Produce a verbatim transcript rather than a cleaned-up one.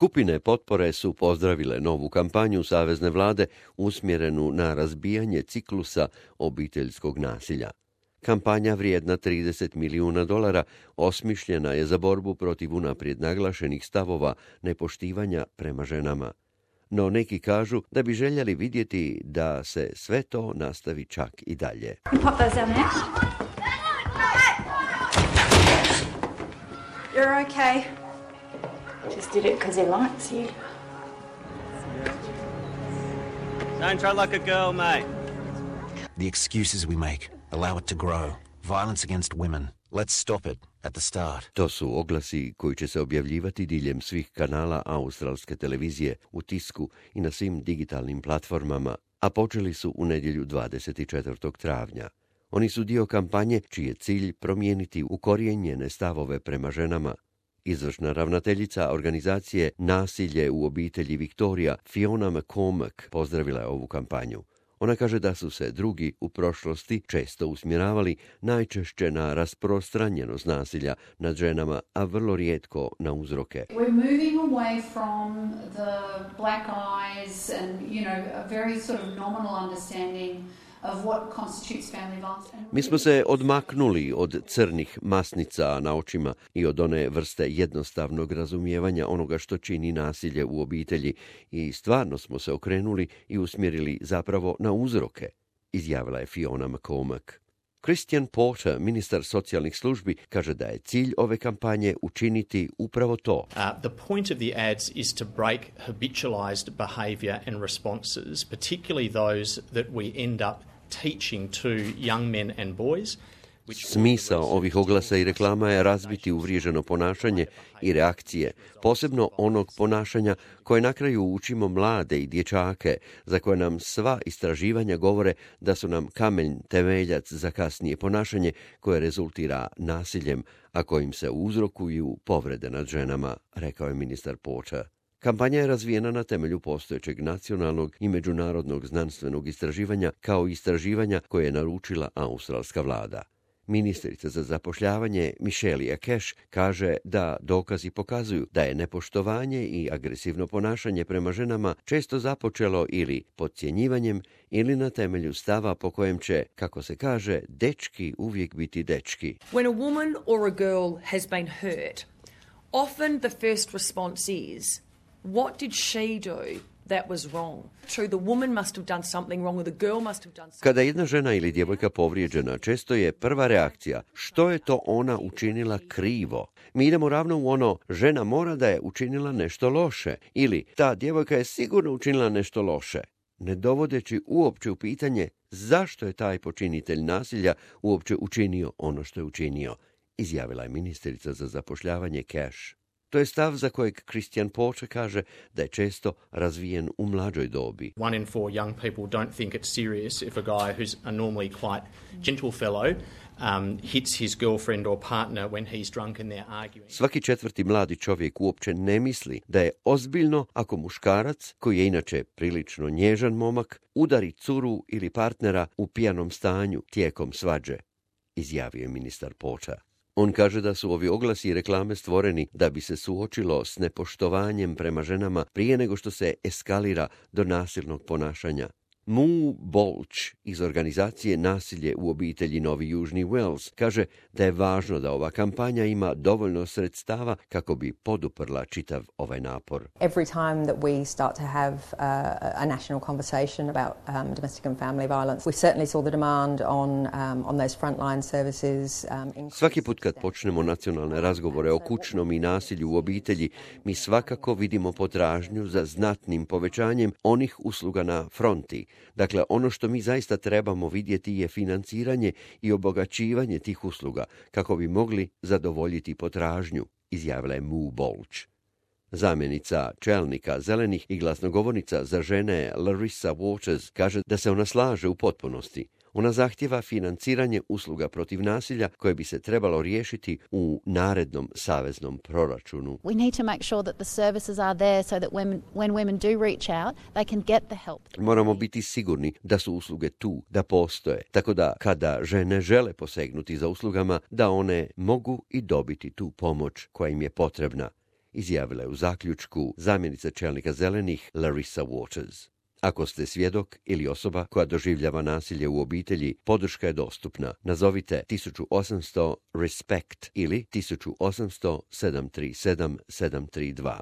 Skupine potpore su pozdravile novu kampanju savezne vlade usmjerenu na razbijanje ciklusa obiteljskog nasilja. Kampanja vrijedna trideset milijuna dolara osmišljena je za borbu protiv unaprijed naglašenih stavova nepoštivanja prema ženama. No neki kažu da bi željeli vidjeti da se sve to nastavi čak i dalje. You're okay. Just did it because he likes you. Don't try like a girl, mate. The excuses we make allow it to grow. Violence against women. Let's stop it at the start. To su oglasi koji će se objavljivati diljem svih kanala australske televizije, u tisku i na svim digitalnim platformama, a počeli su u nedjelju dvadeset četvrtog travnja. Oni su dio kampanje čiji je cilj promijeniti ukorijenjene stavove prema ženama. Izvršna ravnateljica organizacije Nasilje u obitelji Viktorija, Fiona McCormack, pozdravila je ovu kampanju. Ona kaže da su se drugi u prošlosti često usmjeravali najčešće na rasprostranjenost nasilja nad ženama, a vrlo rijetko na uzroke. We're moving away from the black eyes and, you know, a very sort of nominal understanding of what constitutes family violence. Mi smo se odmaknuli od crnih masnica na očima i od one vrste jednostavnog razumijevanja onoga što čini nasilje u obitelji i stvarno smo se okrenuli i usmjerili zapravo na uzroke, izjavila je Fiona McCormack. Christian Porter, ministar socijalnih službi, kaže da je cilj ove kampanje učiniti upravo to. Uh, the point of the ads is to break habitualized behavior and responses, particularly those that we end up teaching to young men and boys. Smisao ovih oglasa i reklama je razbiti uvriježeno ponašanje i reakcije, posebno onog ponašanja koje na kraju učimo mlade i dječake, za koje nam sva istraživanja govore da su nam kamen temeljac za kasnije ponašanje koje rezultira nasiljem, a kojim se uzrokuju povrede nad ženama, rekao je ministar Porter. Kampanja je razvijena na temelju postojećeg nacionalnog i međunarodnog znanstvenog istraživanja kao istraživanja koje je naručila australska vlada. Ministrica za zapošljavanje Michelle Cash kaže da dokazi pokazuju da je nepoštovanje i agresivno ponašanje prema ženama često započelo ili podcjenjivanjem ili na temelju stava po kojem će, kako se kaže, dečki uvijek biti dečki. When a woman or a girl has been hurt, often the first response is, what did she do that was wrong? True, the woman must have done something wrong or the girl must have done something. Kada je jedna žena ili djevojka povrijeđena, često je prva reakcija što je to ona učinila krivo. Mi idemo ravno u ono, žena mora da je učinila nešto loše ili ta djevojka je sigurno učinila nešto loše, ne dovodeći uopće u pitanje zašto je taj počinitelj nasilja uopće učinio ono što je učinio, izjavila je ministrica za zapošljavanje Cash. To je stav za kojeg Christian Porter kaže da je često razvijen u mlađoj dobi. One in four young people don't think it's serious if a guy who's a normally quite gentle fellow um, hits his girlfriend or partner when he's drunk and they're arguing. Svaki četvrti mladi čovjek uopće ne misli da je ozbiljno ako muškarac, koji je inače prilično nježan momak, udari curu ili partnera u pijanom stanju tijekom svađe, izjavio je ministar Porter. On kaže da su ovi oglasi i reklame stvoreni da bi se suočilo s nepoštovanjem prema ženama prije nego što se eskalira do nasilnog ponašanja. Mu Bolch iz organizacije Nasilje u obitelji Novi Južni Wales kaže da je važno da ova kampanja ima dovoljno sredstava kako bi poduprla čitav ovaj napor. Every time that we start to have uh, a national conversation about um, domestic and family violence, we certainly saw the demand on um, on those frontline services. Um, Svaki put kad počnemo nacionalne razgovore o kućnom i nasilju u obitelji, mi svakako vidimo potražnju za znatnim povećanjem onih usluga na fronti. Dakle, ono što mi zaista trebamo vidjeti je financiranje i obogaćivanje tih usluga kako bi mogli zadovoljiti potražnju, izjavila je Mu Bolch. Zamjenica čelnika zelenih i glasnogovornica za žene Larissa Waters kaže da se ona slaže u potpunosti. Ona zahtjeva financiranje usluga protiv nasilja koje bi se trebalo riješiti u narednom saveznom proračunu. We need to make sure that the services are there so that when, when women do reach out, they can get the help. Moramo biti sigurni da su usluge tu, da postoje, tako da kada žene žele posegnuti za uslugama, da one mogu i dobiti tu pomoć koja im je potrebna, izjavila je u zaključku zamjenica čelnika Zelenih Larissa Waters. Ako ste svjedok ili osoba koja doživljava nasilje u obitelji, podrška je dostupna. Nazovite tisuću osamsto respekt ili tisuću osamsto sedam tri sedam sedam tri dva.